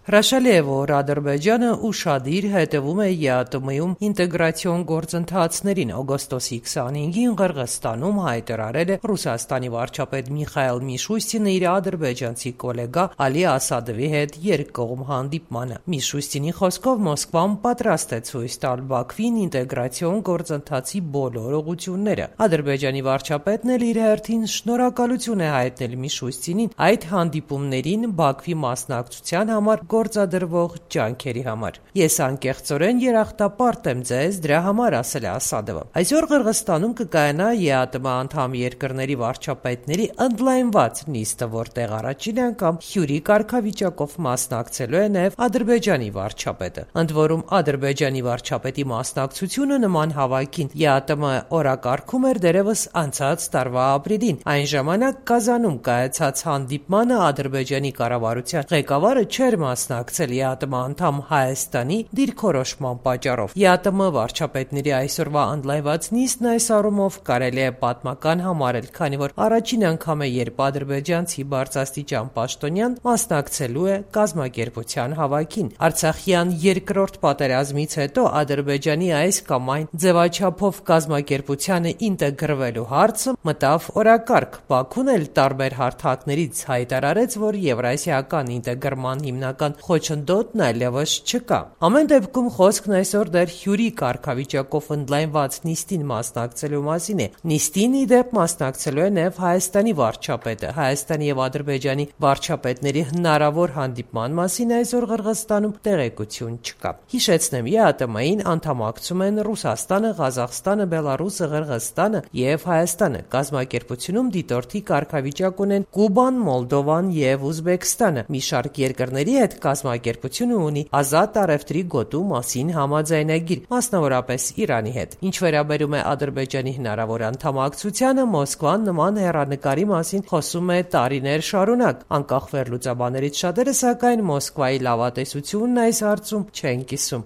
Հրաշալի է, որ Ադրբեջանը ուշադիր հետևում է ԵԱՏՄ-ում ինտեգրացիոն գործընթացներին։ Օգոստոսի 25-ին Ղրղըզստանում հայտարարել է Ռուսաստանի վարչապետ Միխայիլ Միշուստինը իր ադրբեջանցի գոլեգա Ալի Ասադովի հետ երկկողմ հանդիպմանը։ Միշուստինի խոսքով Մոսկվան պատրաստ է ցույց տալ Բաքվին ինտեգրացիոն գործընթացի բոլոր ուղղությունները։ Ադրբեջանի վարչապետն էլ իր հերթին շնորհակալություն է հայտնել Միշուստինին այդ հանդիպումներին Բաքվի մասնակցության համար գործադրվող ջանքերի համար։ Ես անկեղծորեն երախտապարտ եմ ձեզ դրա համար, ասել է Ասադովը։ Այսօր Ղրղըզստանում կկայանա ԵԱՏՄ անդամ երկրների վարչապետների ընդլայնված նիստը, որտեղ առաջին անգամ հյուրի կարգավիճակով մասնակցելու է նաև Ադրբեջանի վարչապետը։ Ընդ որում Ադրբեջանի վարչապետի մասնակցությունը նման հավաքին ԵԱՏՄ օրակարգում էր դեռևս անցած տարվա ապրիլին։ Այն ժամանակ Կազանում կայացած հանդիպմանը Ադրբեջանի կառավարության ղեկավարը չէր մասնակցել ԵԱՏՄ անդամ Հայաստանի դիրքորոշման պատճառով։ ԵԱՏՄ վարչապետների այսօրվա ընդլայնված նիստն այս առումով կարելի է պատմական համարել, քանի որ առաջին անգամ է, երբ ադրբեջանցի բարձրաստիճան պաշտոնյան մասնակցելու է կազմակերպության հավաքին։ Արցախյան երկրորդ պատերազմից հետո Ադրբեջանի այս կամ այն ձևաչափով կազմակերպությանը ինտեգրվելու հարցը մտավ օրակարգ։ Բաքուն էլ տարբեր հարթակներից հայտարարեց, որ եվրասիական ինտեգրման հիմնական խոչընդոտն այլևս չկա։ Ամեն դեպքում խոսքն այսօր դեռ հյուրի կարգավիճակով ընդլայնված նիստին մասնակցելու մասին է։ Նիստին ի դեպ մասնակցելու է նաև Հայաստանի վարչապետը։ Հայաստանի եւ Ադրբեջանի վարչապետների հնարավոր հանդիպման մասին այսօր Ղրղըզստանում տեղեկություն չկա։ Հիշեցնեմ, ԵԱՏՄ-ին անդամակցում են Ռուսաստանը, Ղազախստանը, Բելարուսը, Ղրղըզստանը եւ Հայաստանը։ Կազմակերպությունում դիտորդի կարգավիճակ ունեն Կուբան, Մոլդովան եւ Ուզբեկստանը։ Մի շարք երկրների հետ կազմակերպությունը ունի ազատ առևտրի գոտու մասին համաձայնագիր, մասնավորապես Իրանի հետ։ Ինչ վերաբերում է Ադրբեջանի հնարավոր անդամակցությանը, Մոսկվան նման հեռանկարի մասին խոսում է տարիներ շարունակ։ Անկախ վերլուծաբաներից շատերը, սակայն, Մոսկվայի լավատեսությունն այս հարցում չեն կիսում։